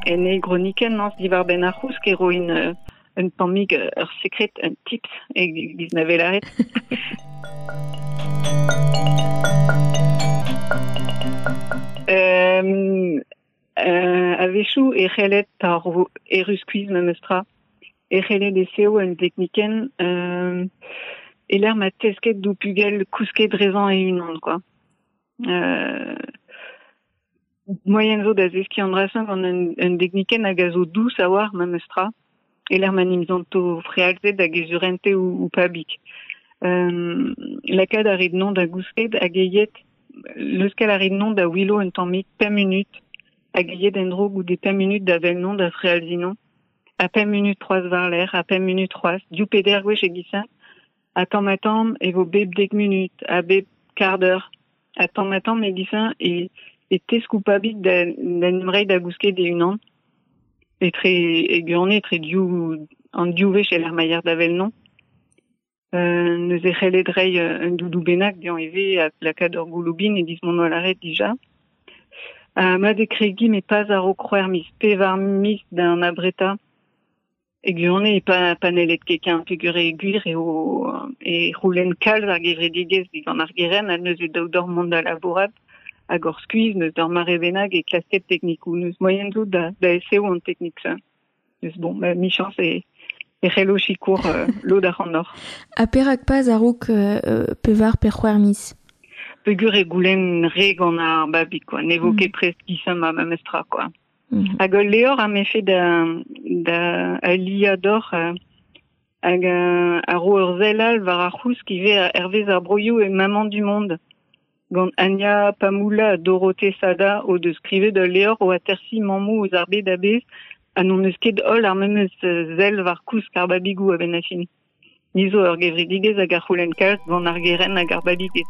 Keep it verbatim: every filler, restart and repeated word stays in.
En e groniken nans diwar ben ar c'housk e roin euh, un tammig ur sekret, un tips e giz na velaret. euh, euh, a-wechoù e c'hellet ar erru skuizh memestra. E c'hellet e seo un tekniken euh, e l'air ma tesket dou pugel kousket drezañ e unan, quoi. Euh, moyen zo da zeski an drasen gant un, un tekniken hag a zo dous a war memestra. E l'air ma nimzanto frealzet hag ezurente ou, ou pabik. Euh, lakaat a rit non da gousket hag eiet leuskel a rit non da willo un tammig pemp minut hag eiet en dro goude pemp minut da vel non da frealzinon. A pemp minut troaz war l'air, a pemp minut troaz, diou peder gwech e gisin, a tamm a tamm e vo bep dek minut, a bep quart d'heure, a tamm a tamm e gisin e, e tesk ou pabik da, da nimrei da gousket e unan. Etre e gurne, etre diou, an diou wech el ar maier da vel non. Euh, neus e c'hellet rei un doudou bennak dian eve a lakaat ur gouloubin e dis mon oa laret dija. Uh, ma de kregi me pas ar o kroer mis pevar mis d'un abreta. E gurne e pa panelet keken pegur e gwir e o e roulen kalz ar gevredigez digant ar geren a neus e daou d'or mont da labourat hag ur skuizh neus d'ur mare bennak e klasket teknikoù neus moyen zo da, da eseo an teknik sa. Neus bon, ma michans e e c'hello sikour euh, lod ar an or. A perak pas a-raok euh, pevar pe c'hwec'h miz? Pegur e goulenn re gant ar babig, quoi. Ne vo Mm. ket prest gisañ ma memestra, quoi. Mm. Hag ul levr a mefe da, da aliañ d'or euh, hag euh, a ro ur sell all war ar c'housk ivez a hervez ar broioù e Maman du Monde. Gant Anya Pamoula ha Dorothée Sada o deus skrivet ul levr o atersi mammoù eus ar bed a-bezh ha n'on eus ket holl ar memes sell war kousk ar babigoù a-benn ar fin. Ni zo ur gevredigezh hag ar c'houlenn kalz gant ar geren hag ar babiged.